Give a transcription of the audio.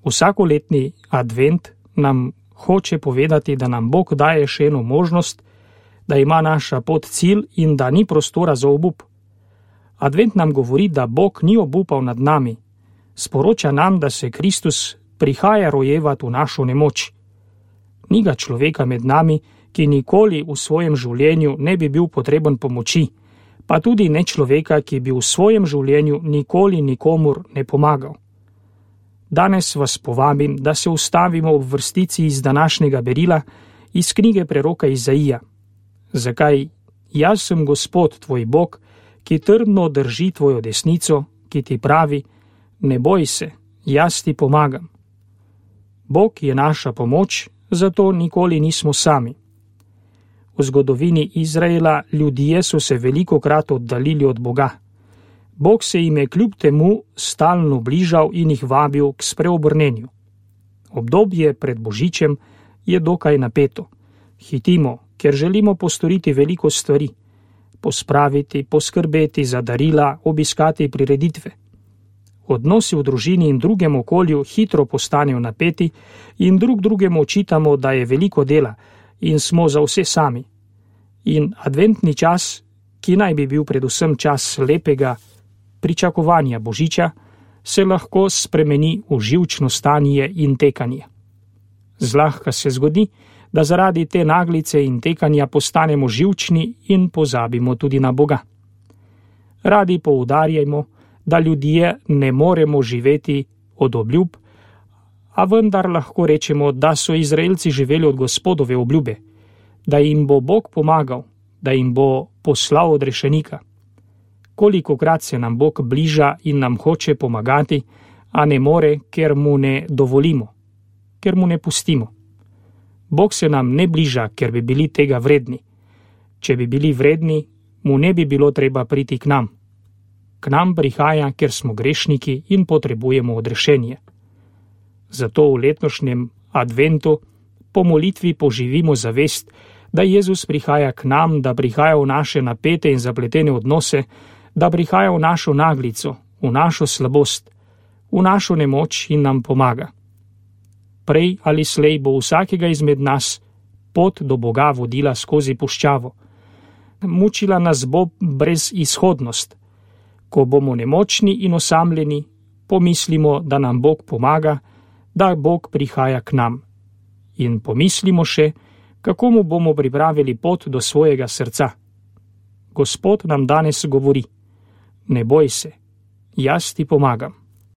Vsakoletni advent nam hoče povedati, da nam Bog daje še eno možnost, da ima naša pot cilj in da ni prostora za obup. Advent nam govori, da Bog ni obupal nad nami. Sporoča nam, da se Kristus prihaja rojevati v našo nemoč. Ni ga človeka med nami, ki nikoli v svojem življenju ne bi bil potreben pomoči, pa tudi ne človeka, ki bi v svojem življenju nikoli nikomur ne pomagal. Danes vas povabim, da se ustavimo v vrstici iz današnjega berila iz knjige preroka Izaija. Zakaj? Jaz sem Gospod, tvoj Bog, ki trdno drži tvojo desnico, ki ti pravi, ne boj se, jaz ti pomagam. Bog je naša pomoč, zato nikoli nismo sami. V zgodovini Izraela ljudje so se velikokrat oddaljili od Boga. Bog se jim je kljub temu stalno bližal in jih vabil k spreobrnenju. Obdobje pred Božičem je dokaj napeto. Hitimo, ker želimo postoriti veliko stvari. Pospraviti, poskrbeti za darila, obiskati prireditve. Odnosi v družini in drugem okolju hitro postanejo napeti in drugemu očitamo, da je veliko dela in smo za vse sami. In adventni čas, ki naj bi bil predvsem čas lepega pričakovanja Božiča, se lahko spremeni v živčno stanje in tekanje. Zlahka se zgodi, da zaradi te naglice in tekanja postanemo živčni in pozabimo tudi na Boga. Radi poudarjamo, da ljudje ne moremo živeti od obljub, a vendar lahko rečemo, da so Izraelci živeli od Gospodove obljube, da jim bo Bog pomagal, da jim bo poslal odrešenika. Kolikokrat se nam Bog bliža in nam hoče pomagati, a ne more, ker mu ne dovolimo, ker mu ne pustimo. Bog se nam ne bliža, ker bi bili tega vredni. Če bi bili vredni, mu ne bi bilo treba priti k nam. K nam prihaja, ker smo grešniki in potrebujemo odrešenje. Zato v letošnjem adventu po molitvi poživimo zavest, da Jezus prihaja k nam, da prihaja v naše napete in zapletene odnose, da prihaja v našo naglico, v našo slabost, v našo nemoč in nam pomaga. Prej ali slej bo vsakega izmed nas pot do Boga vodila skozi puščavo. Mučila nas bo brezizhodnost. Ko bomo nemočni in osamljeni, pomislimo, da nam Bog pomaga, da Bog prihaja k nam. In pomislimo še, kako mu bomo pripravili pot do svojega srca. Gospod nam danes govori, ne boj se, jaz ti pomagam.